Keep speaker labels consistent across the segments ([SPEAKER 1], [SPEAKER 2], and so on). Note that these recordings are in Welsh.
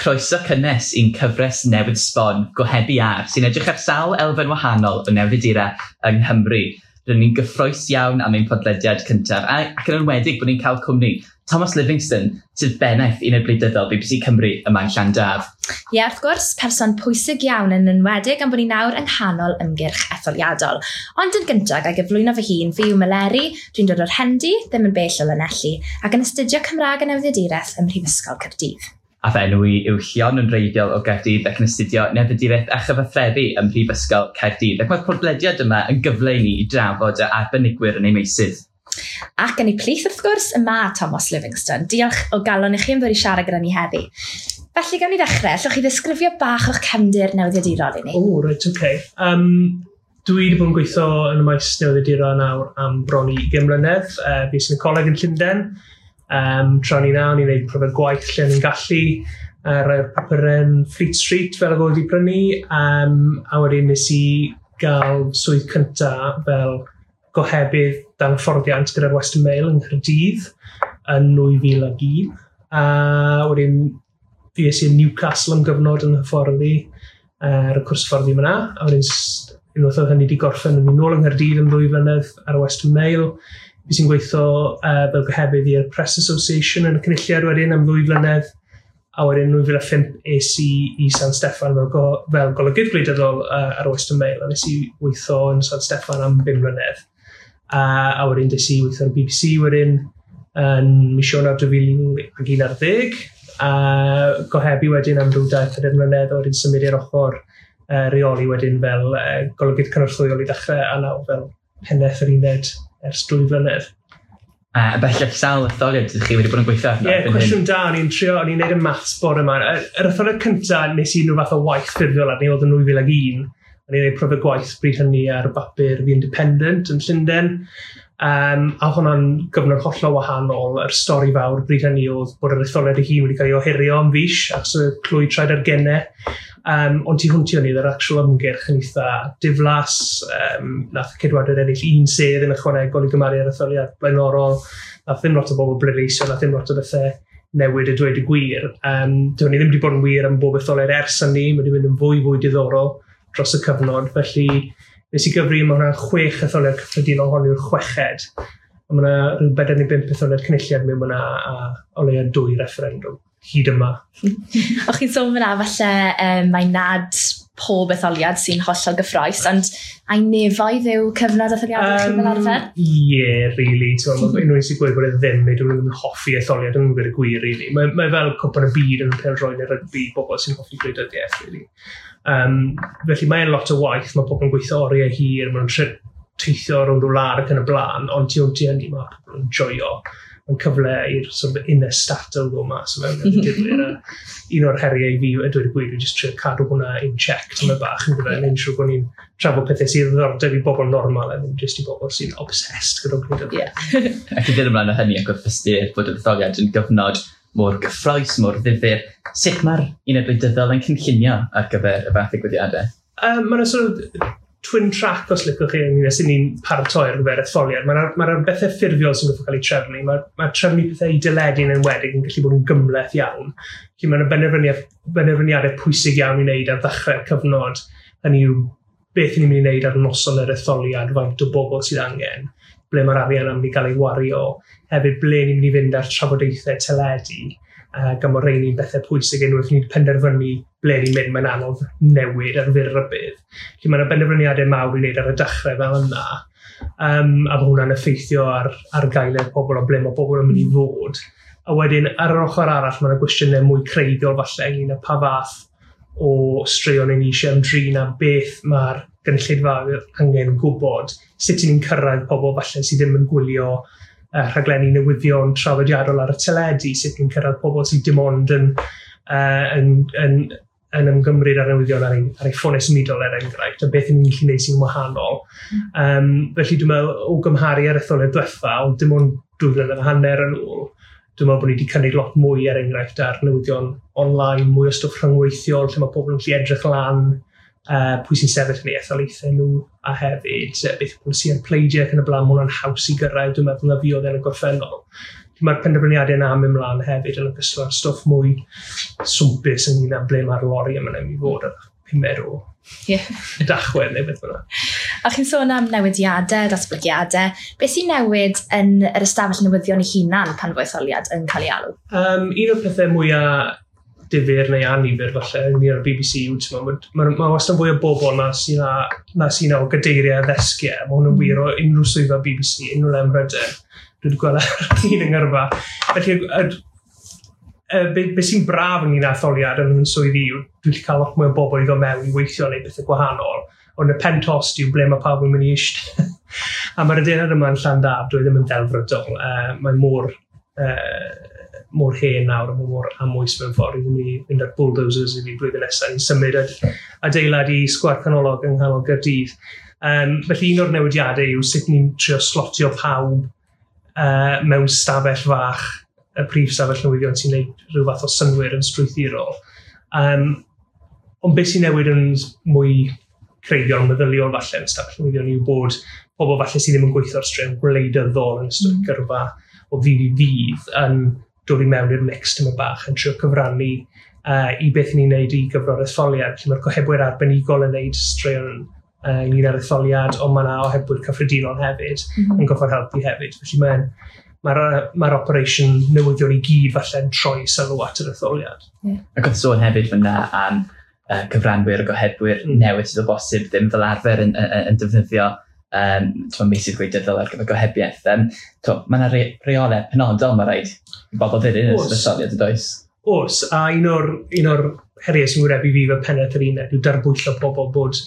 [SPEAKER 1] Croeso cynnes i'n cyfres newydd sbon Gohebu Ar, sy'n edrych ar sawl elfen wahanol o newyddiadura yng Nghymru. Rydyn ni'n gyffrous iawn am ein podlediad cyntaf, ac yn enwedig bod ni'n cael cwmni Thomas Livingston, sydd bennaeth uned wleidyddol BBC Cymru yma yn Llandaf.
[SPEAKER 2] Ie, wrth gwrs, person pwysig iawn yn enwedig am bod ni nawr yng nghanol ymgyrch etholiadol. Ond yn gyntaf, ga i gyflwyno fy hun, fi yw Meleri, dwi'n dod o'r Hendy, ddim yn bell o Lanelli, ac yn astudio Cymraeg a Newyddiaduraeth ym Mhrifysgol Caerdydd.
[SPEAKER 1] A fy enw i yw Llion yn wreiddiol o Gaerdydd ac yn astudio Newyddiaduraeth a Chyfathrebu ym Mhrifysgol Caerdydd. Ac mae'r podlediad yma yn gyfle i ni i drafod y arbenigwyr yn eu meysydd.
[SPEAKER 2] Ac yn eu plith, wrth gwrs, y mae Thomas Livingston. Diolch o galon i chi am ddod i siarad gyda ni heddi. Felly, gawn ni ddechrau. Allwch chi ddisgrifio bach o'ch cefndir newyddiadurol i ni?
[SPEAKER 3] O, reit, oce. Okay. Dwi wedi bod yn gweithio yn y maes newyddiadura nawr am bron i 20 mlynedd. Fues i'n y coleg yn Llundain. Tra o'n i 'na, o'n i'n gwneud profiad gwaith lle o'n i'n gallu, rhai o'r papurau yn Fleet Street fel oedd wedi prynu, a wedyn nes i gael swydd cynta fel gohebydd dan hyfforddiant gyda'r Western Mail yng Nghaerdydd yn 2001. A wedyn fues i yn Newcastle am gyfnod yn hyfforddi ar y cwrs hyfforddi yma. A wedyn unwaith oedd hynny wedi gorffen, o'n i nôl yng Nghaerdydd am 2 flynedd ar y Western Mail. Fues i'n gweithio fel gohebydd i'r Press Association yn y Cynulliad wedyn am 2 flynedd. A wedyn 2005 es i i San Steffan fel golygydd gwleidyddol ar y Western Mail. A nes i weithio yn San Steffan am 5 mlynedd. A wedyn des i weithio ar y BBC wedyn yn mis Ionawr 2011. A gohebu wedyn am ryw 2-4 mlynedd, a wedyn symud i'r ochr reoli wedyn fel golygydd cynorthwyol i ddechrau a nawr fel pennaeth yr uned ers 2 flynedd.
[SPEAKER 1] A bellach sawl etholiad ydych chi wedi bod yn gweithio arno
[SPEAKER 3] Ie,
[SPEAKER 1] erbyn hyn?
[SPEAKER 3] Cwestiwn da, o'n i'n neud y maths bore yma. Yr etholiad cyntaf nes i unrhyw fath o waith ffurfiol arni oedd yn 2001. O'n i'n neud profiad gwaith bryd hynny ar bapur The Independent yn Llundain. A hwnna'n gyfnod hollol wahanol. Yr stori fawr bryd hynny oedd bod yr etholiad ei hun wedi cael ei ohirio am fis achos y clwy traed ar gennau. Ond tu hwnt i hynny, yr actual ymgyrch yn eitha diflas. Nath y Ceidwadwyr ennill un sedd yn ychwanegol i gymharu ar etholiad blaenorol. Nath ddim lot o bobl bleidleisio, nath ddim lot o bethau newid y dweud y gwir. Dyw hynny ddim wedi bod yn wir am bob etholiad ers hynny, mae wedi mynd yn fwy fwy diddorol dros y cyfnod. Felly nes i gyfri, mae hwnna'n chwech etholiad cyffredinol, hon yw'r chweched. A mae yna rhyw bedair neu bump etholiad cynulliad mewn yna a o leia dwy referendwm hyd yma.
[SPEAKER 2] O'ch chi'n sôn fyna falle mae nad pob etholiad sy'n hollol gyffrous, ond ai nefoedd yw cyfnod etholiadau chi fel arfer?
[SPEAKER 3] Ie, yeah, really. Ti'n meddwl, unrhyw un sy'n gweud bod e ddim, neu dyn nhw ddim yn hoffi etholiad, dyn nhw'n gweud y gwir, really. Mae fel cwpan y byd yn pêl-droed neu rygbi, bobl sy'n hoffi gwleidyddiaeth, really. Felly mae'n lot o waith, mae pobl yn gweithio oriau hir, maen nhw'n teithio rownd o wlad ac yn y blaen, ond tu hwnt i hynny mae pobl yn joio. Mae'n cyfle i'r sort of inner stattle ddod mas o fewn y digwydd. A un o'r heriau i fi, a dweud y gwir, yw jyst trio cadw hwnna in check tymed bach yn gyfer, neu'n siŵr bod ni'n trafod pethau sydd o ddiddordeb i bobl normal a ddim jyst i bobl sy'n obsessed gyda'r gwleidyddiaeth.
[SPEAKER 1] Ac i ddod ymlaen o hynny ac wrth ystyried bod yr etholiad yn gyfnod mor gyffrous, mor ddifyr, sut mae'r uned wleidyddol yn cynllunio ar gyfer y fath ddigwyddiadau?
[SPEAKER 3] Mae'n sort of twin track, os licwch chi, ynglyn â sut ni'n paratoi ar gyfer etholiad. Mae'na ma bethau ffurfiol sy'n gorfod cael eu trefnu. Mae trefnu pethau i deledu yn enwedig yn gallu bod yn gymhleth iawn. Felly mae'n benderfyniadau pwysig iawn i wneud ar ddechrau'r cyfnod. Hynny yw beth ni'n mynd i wneud ar noson yr etholiad, faint o bobl sydd angen, ble mae'r arian am i gael ei wario, hefyd ble ni'n mynd i fynd ar trafodaethau teledu, gan bod rheini'n bethau pwysig unwaith ni'n penderfynu ble ni'n mynd, mae'n anodd newid ar fyr rybudd. Felly mae yna benderfyniadau mawr i wneud ar y dechrau fel yna, a bod hwnna'n effeithio ar gaeledd pobl o ble mae pobl yn mynd i fod. A wedyn, ar yr ochr arall, mae yna gwestiynau mwy creiddiol falle ynglyn â pa fath o straeon ni eisiau ymdrin a beth mae'r gynulleidfa angen gwybod, sut ni'n cyrraedd pobl falle sydd ddim yn gwylio rhaglenni newyddion traddodiadol ar y teledu, sut ni'n cyrraedd pobl sydd dim ond yn ymgymryd ar newyddion ar ei ffonau symudol er enghraifft, a beth ni'n gallu gwneud sy'n wahanol. Felly dwi'n meddwl, o gymharu ar etholiad diwetha, ond dim ond 2 flynedd a hanner yn ôl, dwi'n meddwl bod ni wedi cynnig lot mwy er enghraifft ar newyddion online, mwy o stwff rhyngweithiol, lle mae pobl yn gallu edrych lan pwy sy'n sefyll yn eu etholaethau nhw, a hefyd beth yw polisiau'r pleidiau ac yn y blaen, mae hwnna'n haws i gyrraedd, dwi'n meddwl, na fi oedd yn y gorffennol. Mae'r penderfyniadau yna am ymlaen hefyd yn ogystal â'r stwff mwy swmpus ynglyn â ble mae'r lori yma'n mynd i fod ar 5 o Dachwedd neu beth bynnag.
[SPEAKER 2] A chi'n sôn am newidiadau, datblygiadau. Beth sy'n newid yn yr ystafell newyddion ei hunan pan fo etholiad yn cael ei alw?
[SPEAKER 3] Un o'r pethau mwyaf difyr neu annifyr falle ynglyn â'r BBC yw, mae ma wastad fwy o bobl na sy'n na sy o gadeiriau a ddesgiau. Mae hwn yn wir o unrhyw swyddfa BBC, unrhyw le ym Mhrydain. Dwi wedi gweld ar hyd yng ngyrfa. Felly, be sy'n braf ynglyn â etholiad yn fy swydd i yw dwi'n gallu cael lot mwy o bobl i ddod mewn i weithio neu bethau gwahanol. Ond y pen tost yw ble mae pawb yn mynd i eistedd. A mae'r adeilad yma yn Llandaf, dwi ddim yn ddelfrydol. Mae mor hen nawr a mae mor amwys mewn ffordd i ddim i fynd ar bulldozers i fi blwyddyn nesaf. Ni'n symud adeilad i Sgwâr Canolog yng nghanol Gaerdydd. Felly un o'r newidiadau yw sut ni'n trio slotio pawb mewn stafell fach, y prif stafell newyddion sy'n gwneud rhyw fath o synnwyr yn strwythurol. Ond beth sy'n newid yn mwy creiddiol, meddyliol falle yn stafell newyddion yw bod pobl falle sydd ddim yn gweithio ar straeon gwleidyddol yn ystod gyrfa o ddydd i ddydd yn dod i mewn i'r mix tyma bach yn trio cyfrannu i beth ni'n neud i gyfro'r etholiad. Felly mae'r gohebwyr arbenigol yn neud straeon ynglyn â'r etholiad, ond mae yna ohebwyr cyffredinol hefyd yn gorfod helpu hefyd. Felly mae'r operation newyddion i gyd falle'n troi sylw at yr etholiad.
[SPEAKER 1] Yeah. Ac oedd sôn hefyd fyna am cyfranwyr a gohebwyr newydd sydd o bosib ddim fel arfer yn defnyddio meysydd gwleidyddol ar gyfer gohebiaeth. Mae yna reolau penodol mae rhaid i bobl ddilyn yn ystod etholiad, yn does?
[SPEAKER 3] Oes, a un o'r heriau sy'n wynebu fi fel pennaeth yr uned yw darbwyllo pobl bod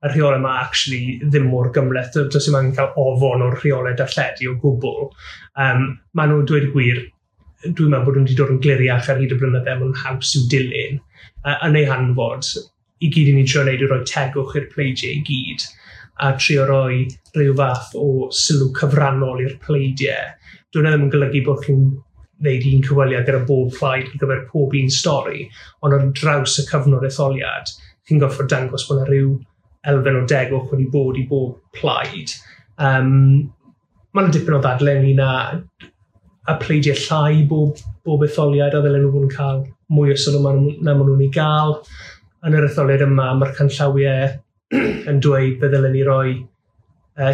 [SPEAKER 3] y rheolau yma actually ddim mor gymhleth. Does dim angen cael ofon o'r rheolau darlledu o gwbl. Maen nhw'n dweud y gwir, dwi'n meddwl bod nhw wedi dod yn gliriach ar hyd y blynydde, maen nhw'n haws i'w dilyn. Yn ei hanfod, i gyd i ni'n trio wneud yw rhoi tegwch i'r pleidiau i gyd a trio rhoi rhyw fath o sylw cyfrannol i'r pleidiau. Dwi'n ddim yn golygu bod chi'n wneud un cyfweliad gyda bob plaid ar gyfer pob un stori, ond ar draws y cyfnod etholiad, chi'n gorfod dangos bod yna rhyw elfen o degwch wedi bod i bob plaid. Mae yna dipyn o ddadle ynglyn â y pleidiau llai bob etholiad a ddylen nhw fod yn cael mwy o sylw na maen nhw'n ei gael. Yn yr etholiad yma, mae'r canllawiau yn dweud be ddylen ni roi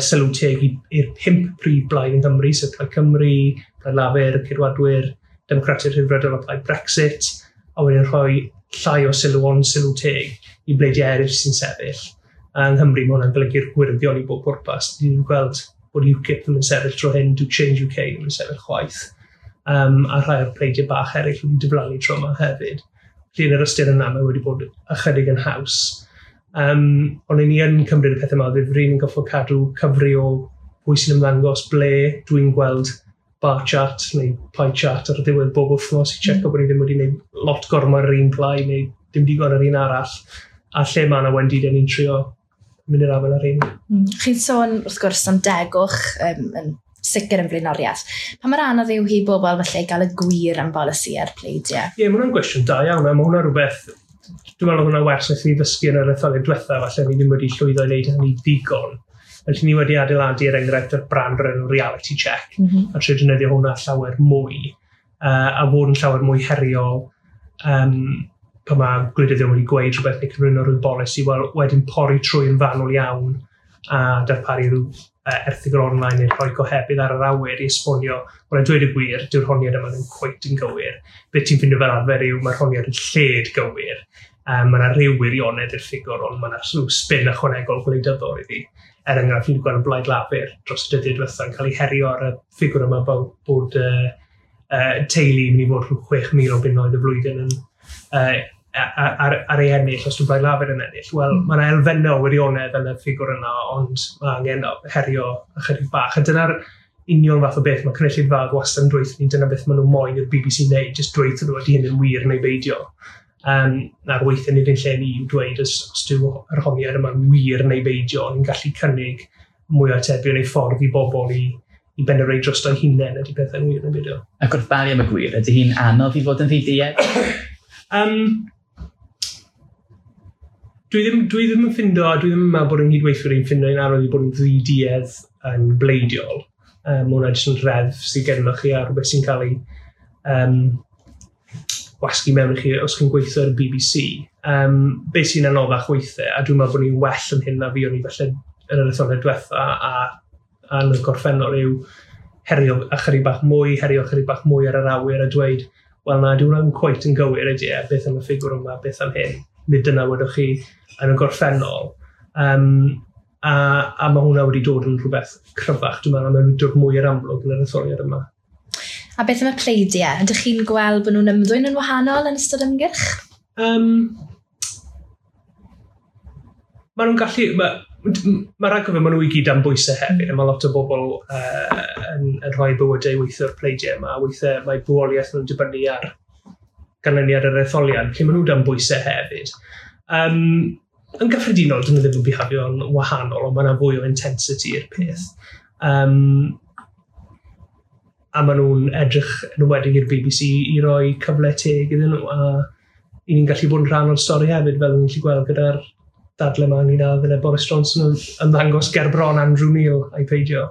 [SPEAKER 3] sylw teg i'r 5 prif blaid yng Nghymru, sef Plaid Cymru, Plaid Lafur, Ceidwadwyr, Democratiaid Rhyddfrydol a Plaid Brexit, a wedyn rhoi llai o sylw ond sylw teg i bleidiau eraill sy'n sefyll. Yng Nghymru mae hwnna'n golygu'r gwyrddio'n i bob pwrpas. Ni'n gweld bod UKIP ddim yn sefyll tro hyn, dyw Change UK ddim yn sefyll chwaith. A rhai o'r pleidiau bach eraill wedi diflannu tro yma hefyd. Felly yn yr ystyr yna mae wedi bod ychydig yn haws. Ond ni yn cymryd y pethau yma o ddifri, ni'n gorfod cadw cyfri o pwy sy'n ymddangos ble. Dwi'n gweld bar chart neu pie chart ar y diwedd bob wythnos i checo bod ni ddim wedi gwneud lot gormod ar yr un plaid neu dim digon ar un arall. A lle mae yna wendidau ni'n trio mynd i'r afael ar un.
[SPEAKER 2] Chi'n sôn wrth gwrs am degwch yn sicr yn flaenoriaeth. Pa mor anodd yw hi bobl falle i gael y gwir am bolisi a'r pleidiau?
[SPEAKER 3] Ie, mae hwnna'n gwestiwn da iawn. A mae hwnna rhywbeth, dwi'n meddwl hwnna wers wnaethon ni ddysgu yn yr etholiad diwetha, falle ni ddim wedi llwyddo i wneud hynny ddigon. Felly ni wedi adeiladu er enghraifft yr brand o'r enw reality check, a trio defnyddio hwnna llawer mwy, a fod yn llawer mwy heriol pan mae gwleidyddion wedi gweud rhywbeth neu cyflwyno rhyw bolisi, wel, wedyn pori trwy yn fanwl iawn a darparu rhyw erthygl online neu rhoi gohebydd ar yr awyr i esbonio, wel, a dweud y gwir, dyw'r honiad yma ddim cweit yn gywir. Be ti'n ffindio fel arfer yw mae'r honiad yn lled gywir. Mae yna rhyw wirionedd i'r ffigwr, ond mae yna rhyw spin ychwanegol gwleidyddol iddi. Er enghraifft, ni'n gweld y Blaid Lafur dros y dyddiau diwethaf yn cael ei herio ar y ffigwr yma fel bod teulu yn mynd i fod rhyw 6,000 o bunnoedd y flwyddyn yn ar ei ennill, os dwi'n Blaid Lafur yn ennill. Wel, mae yna elfennau o wirionedd yn y ffigwr yna, ond mae angen herio ychydig bach. A dyna'r union fath o beth mae cynulleidfaoedd wastad yn dweud ni, dyna beth maen nhw moyn i'r BBC wneud, jyst dweud nhw ydy hyn yn wir neu beidio. Na'r weithiau nid yn lle ni yw dweud os dyw yr honiad yma'n wir neu beidio, ni'n gallu cynnig mwy o atebion neu ffordd i bobl i benderfynu drosto'u hunain ydy pethau'n wir neu beidio.
[SPEAKER 1] Ac wrth baru am y gwir, ydy hi'n anodd i fod yn ddiduedd?
[SPEAKER 3] Dwi ddim yn ffindo, a dwi ddim yn meddwl bod yng nghydweithwyr i'n ffindo i'n anodd i bod yn ddiduedd yn bleidiol. Mae hwnna jyst yn reddf sydd gennych chi a rhywbeth sy'n cael ei wasgu mewn i chi os chi'n gweithio ar y BBC. Be sy'n anoddach weithiau, a dwi'n meddwl bod ni'n well yn hyn na fi o'n i falle yn yr etholiad diwetha a yn y gorffennol yw herio ychydig bach mwy, herio ychydig bach mwy ar yr awyr a dweud, wel na, dyw hwnna'n cweit yn gywir ydy e, beth am y ffigwr yma, beth am hyn, nid dyna wedwch chi yn y gorffennol. A mae hwnna wedi dod yn rhywbeth cryfach, dwi'n meddwl, a mae'n dod mwy i'r amlwg yn yr etholiad yma.
[SPEAKER 2] A beth am y pleidiau? Ydych chi'n gweld bod nhw'n ymddwyn yn wahanol yn ystod ymgyrch?
[SPEAKER 3] Maen nhw'n gallu... Mae rhaid cofio, maen nhw i gyd am bwysau hefyd, a mae lot o bobl yn rhoi bywydau weithio'r pleidiau yma, weithiau mae bywoliaeth nhw'n dibynnu ar ganlyniad yr etholiad, felly maen nhw dan bwysau hefyd. Yn gyffredinol, dyn nhw ddim yn bihafio'n wahanol, ond mae yna fwy o intensity i'r peth. A maen nhw'n edrych yn enwedig i'r BBC i roi cyfle teg iddyn nhw, a i ni'n gallu bod yn rhan o'r stori hefyd, fel ni'n gallu gweld gyda'r dadle yma ynglyn â ddyle Boris Johnson yn ymddangos ger bron Andrew Neil a'i peidio.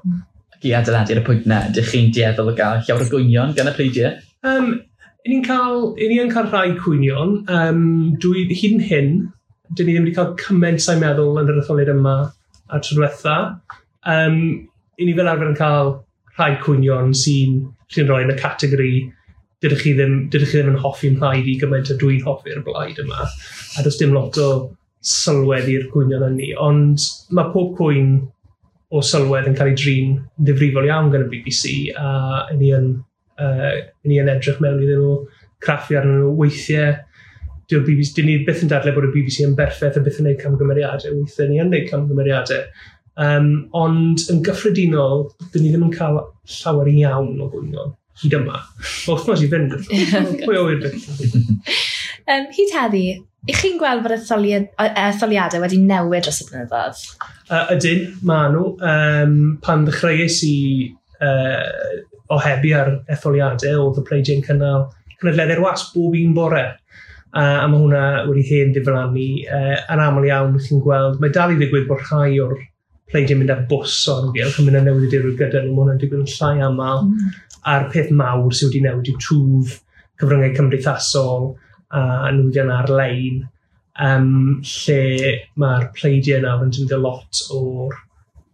[SPEAKER 1] Ac i adeiladu ar y pwynt na, ydych chi'n dueddol o gael llawer o gwynion gan y pleidiau?
[SPEAKER 3] I ni yn cael rhai cwynion. Dwi, hyd yn hyn, dyn ni ddim wedi cael cymaint sa'n meddwl yn yr etholiad yma a'r tro diwetha. I ni fel arfer yn cael rhai cwynion sy'n rhoi yn y categori dydych chi ddim yn hoffi'n mhlaid i gymaint a dwi'n hoffi'r blaid yma. A does dim lot o sylwedd i'r cwynion hynny, ond mae pob cwyn o sylwedd yn cael ei drin ddifrifol iawn gan y BBC, a ni yn edrych mewn iddyn nhw, craffu arnyn nhw weithiau. Dyw'r BBC, dyn ni byth yn dadlau bod y BBC yn berffaith a byth yn gwneud camgymeriadau, weithiau ni yn gwneud camgymeriadau. Ond yn gyffredinol, dyn ni ddim yn cael llawer iawn o gwynion hyd yma. Mae wythnos i fynd. Pwy o wir beth.
[SPEAKER 2] Hyd heddi, ych chi'n gweld bod etholiadau wedi newid dros y blynyddoedd?
[SPEAKER 3] Ydyn, maen nhw. Pan ddechreuais i ohebu ar etholiadau, oedd y pleidiau'n cynnal cynadleddau'r wasg bob un bore. A mae hwnna wedi hen ddiflannu. Yn aml iawn, chi'n gweld, mae dal i ddigwydd bod rhai o'r pleidiau'n mynd ar bws o amgylch yn mynd â newyddiadurwyr gyda nhw. Mae hwnna'n digwydd yn llai aml. A'r peth mawr sydd wedi newid yw twf cyfryngau cymdeithasol a newyddion ar-lein, lle mae'r pleidiau nawr yn defnyddio lot o'r,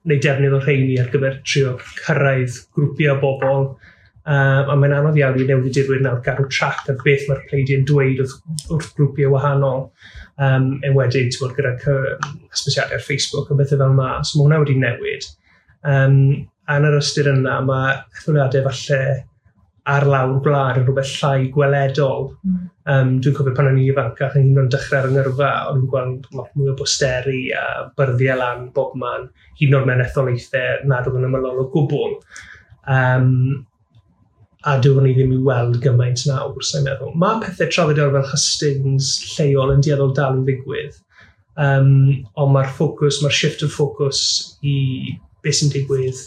[SPEAKER 3] neu defnydd o'r rheini ar gyfer trio cyrraedd grwpiau o bobl. A mae'n anodd iawn i newyddiadurwyr nawr gadw trac ar beth mae'r pleidiau'n dweud wrth grwpiau wahanol. Enwedig, ti'n gwbod, gyda hysbysiadau ar Facebook a bethau fel yma. So mae hwnna wedi newid. A yn yr ystyr yna, mae etholiadau falle ar lawr gwlad yn rhywbeth llai gweledol. Dwi'n cofio pan o'n i'n ifancach yn hyd yn oed dechrau ar yng ngyrfa, o'n i'n gweld lot mwy o bosteri a byrddiau lan bob man, hyd yn oed mewn etholaethau nad oedd yn ymylol o gwbl. A dyw hynny ddim i weld gymaint nawr, sa'n meddwl. Mae pethau traddodiadol fel hustings lleol yn dueddol dal i ddigwydd. Ond mae'r ffocws, mae'r shift o ffocws i beth sy'n digwydd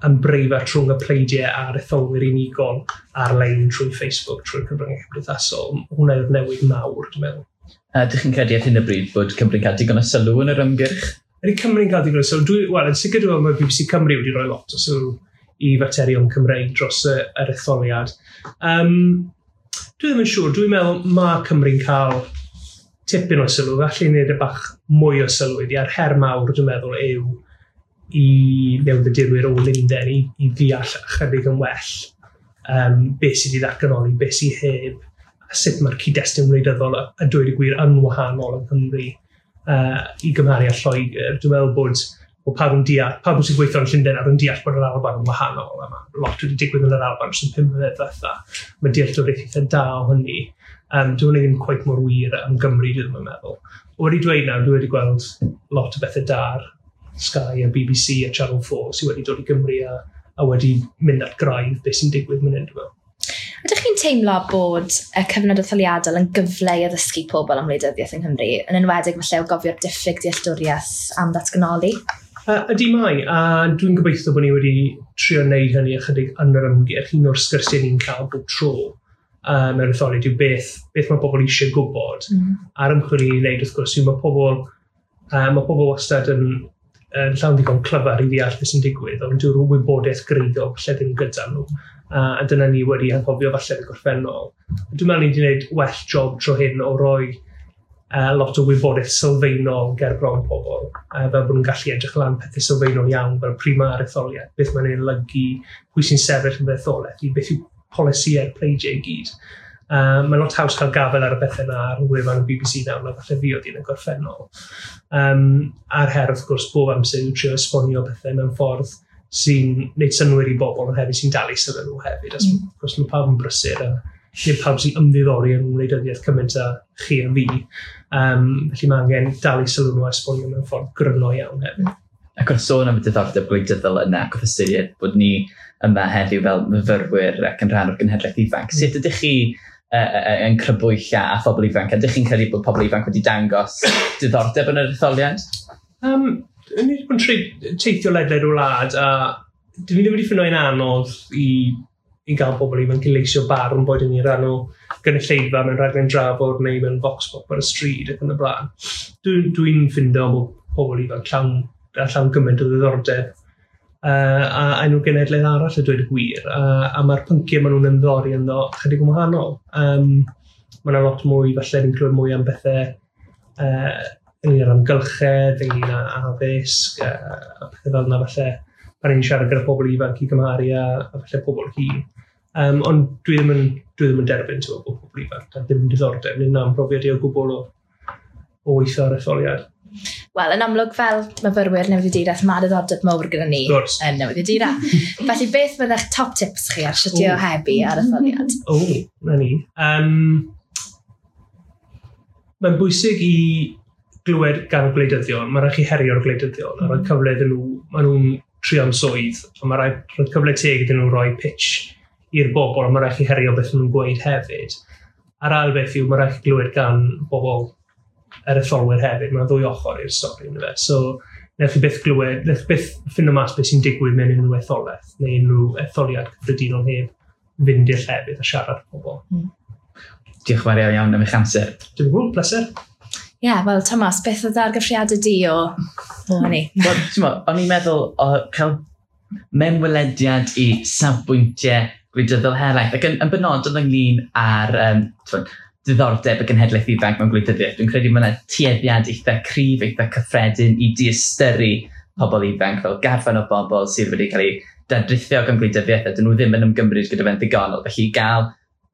[SPEAKER 3] yn breifat rhwng y pleidiau a'r etholwyr unigol ar-lein trwy Facebook, trwy'r cyfryngau cymdeithasol. Hwnna yw'r newid mawr, dwi'n meddwl.
[SPEAKER 1] A ydych chi'n credu ar hyn o bryd bod Cymru'n cael digon o sylw yn yr ymgyrch?
[SPEAKER 3] Ydy Cymru'n cael digon o sylw? Wel, yn sicr dwi'n meddwl mae BBC Cymru wedi rhoi lot o sylw i faterion Cymreig dros yr etholiad. Dwi ddim yn siŵr, dwi'n meddwl mae Cymru'n cael tipyn o sylw, felly wneud y bach mwy o sylw iddi, a'r her mawr dwi'n meddwl yw i newyddiadurwyr o Lundain i ddeall ychydig yn well beth sydd wedi ddatganoli, beth sydd heb, a sut mae'r cyd-destun wleidyddol a dweud y gwir yn wahanol yng Nghymru i gymharu â Lloegr. Dwi'n meddwl bod pawb yn deall, pawb sy'n gweithio yn Llundain ar yn deall bod yr Alban yn wahanol, a mae lot wedi digwydd yn yr Alban dros y 5 mlynedd diwetha. Mae dealltwriaeth eitha da o hynny. Dyw hynny ddim cweit mor wir am Gymru, dwi ddim yn meddwl. Wedi dweud nawr, dwi wedi gweld lot o bethau da ar Sky a BBC a Channel 4 sydd wedi dod i Gymru a wedi mynd at graidd beth sy'n digwydd mynd hyn, dwi'n meddwl.
[SPEAKER 2] Ydych chi'n teimlo bod y cyfnod etholiadol yn gyfle i addysgu pobl am wleidyddiaeth yng Nghymru, yn enwedig falle o gofio'r diffyg dealltwriaeth am ddatganoli?
[SPEAKER 3] Ydy mai, a dwi'n gobeithio bod ni wedi trio wneud hynny ychydig yn yr ymgyrch. Un o'r sgyrsiau ni'n cael bob tro mewn etholiad yw beth mae pobl eisiau gwybod. A'r ymchwil i ni'n wneud, wrth gwrs, yw mae pobl wastad yn yn llawn ddigon clyfar i ddeall beth sy'n digwydd, ond dyw'r wybodaeth greiddiol falle ddim gyda nhw. A dyna ni wedi anghofio falle yn y gorffennol. Dwi'n meddwl ni wedi gwneud well job tro hyn o roi lot o wybodaeth sylfaenol ger bron pobl, fel bod nhw'n gallu edrych lan pethau sylfaenol iawn, fel pryd mae'r etholiad, beth mae'n ei olygu, pwy sy'n sefyll yn fy etholaeth i, beth yw polisïau'r pleidiau i gyd. Mae'n lot haws cael gafael ar y bethau yna ar wefan y BBC nawr na falle fi oedd un yn gorffennol. A'r her, wrth gwrs, bob amser yw trio esbonio pethau mewn ffordd sy'n gwneud synnwyr i bobl, ond hefyd sy'n dal i sylw nhw hefyd. As, wrth gwrs, mae pawb yn brysur a nid pawb sy'n ymddiddori yn wleidyddiaeth cymaint â chi a fi. Felly mae angen dal i sylw nhw a esbonio mewn ffordd gryno iawn hefyd.
[SPEAKER 1] Ac wrth sôn am y diddordeb gwleidyddol yna, ac wrth ystyried bod ni yma heddiw fel myfyrwyr ac yn rhan o'r genhedlaeth ifanc, sut ydych chi yn crybwyll a phobl ifanc? Ydych chi'n credu bod pobl ifanc wedi dangos diddordeb yn yr etholiad?
[SPEAKER 3] Ni wedi bod yn teithio ledled y wlad, a dwi ddim wedi ffeindo'n anodd i gael pobl ifanc i leisio barn, boed yn rhan o gynulleidfa mewn rhaglen drafod neu mewn vox pop ar y stryd ac yn y blaen. Dwi'n ffindo bod pobl ifanc llawn gymaint o ddiddordeb a enw genedlaeth arall a dweud y gwir, a mae'r pynciau maen nhw'n ymddori ynddo chydig yn wahanol. Mae yna lot mwy, falle ni'n clywed mwy am bethau ynglyn â'r amgylchedd, ynglyn â addysg, a pethau fel yna falle pan ni'n siarad gyda pobl ifanc i gymharu a falle pobl hŷn. Ond dwi ddim yn derbyn, ti'n bod pobl ifanc a ddim yn diddordeb, nid na'n profiad i o gwbl o weithio ar etholiad.
[SPEAKER 2] Wel, yn amlwg fel myfyrwyr newyddiaduraeth, mae diddordeb mawr gyda ni yn newyddiadura. Felly beth fydda'ch top tips chi ar sut i ohebu ar etholiad?
[SPEAKER 3] O, na ni. Mae'n bwysig i glywed gan y gwleidyddion. Mae rhaid chi herio'r gwleidyddion a rhoi cyfle iddyn nhw. Maen nhw'n trio am swydd, a mae rhaid rhoi cyfle teg iddyn nhw roi pitch i'r bobl, a mae rhaid chi herio beth maen nhw'n gweud hefyd. A'r ail beth yw, mae rhaid chi glywed gan bobl yr etholwyr hefyd. Mae'n ddwy ochr i'r stori, yndyfe. So, newch chi byth glywed, newch chi byth ffindo mas beth sy'n digwydd mewn unrhyw etholaeth neu unrhyw etholiad cyffredinol heb fynd i'r llefydd a siarad â pobl.
[SPEAKER 1] Diolch yn fawr iawn iawn am eich amser.
[SPEAKER 3] Dim o gwbl, pleser.
[SPEAKER 2] Ie, yeah, wel, Thomas, beth oedd argraffiadau di o hynny?
[SPEAKER 1] Wel, ti'n mo, o'n i'n meddwl o cael mewnwelediad i safbwyntiau gwleidyddol helaeth, ac yn benodol ynglyn â'r t'mod, diddordeb y genhedlaeth ifanc mewn gwleidyddiaeth. Dwi'n credu mae yna tueddiad eitha cryf, eitha cyffredin i diystyru pobl ifanc fel garfan o bobl sydd wedi cael eu dadrithio gan gwleidyddiaeth a dyn nhw ddim yn ymgymryd gyda fe'n ddigonol. Felly i gael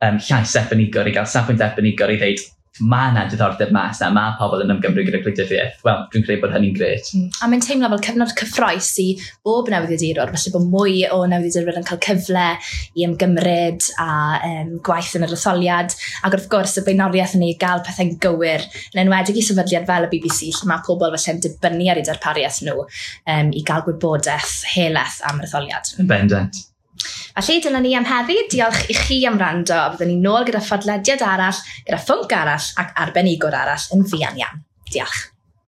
[SPEAKER 1] llais arbenigol, i gael safbwynt arbenigol i ddeud mae yna diddordeb mas na, mae pobl yn ymgymryd gyda gwleidyddiaeth. Wel, dwi'n credu bod hynny'n grêt.
[SPEAKER 2] A mae'n teimlo fel cyfnod cyffrous i bob newyddiadurwr, felly bod mwy o newyddiadurwyr yn cael cyfle i ymgymryd a gwaith yn yr etholiad, ac wrth gwrs y blaenoriaeth yn ei gael pethau'n gywir, yn enwedig i sefydliad fel y BBC, lle mae pobl felly'n dibynnu ar eu darpariaeth nhw i gael gwybodaeth helaeth am yr etholiad.
[SPEAKER 1] Yn bendant.
[SPEAKER 2] Felly dyna ni am heddi. Diolch i chi am wrando, a byddwn ni nôl gyda phodlediad arall, gyda phwnc arall ac arbenigwr arall yn fuan iawn. Diolch.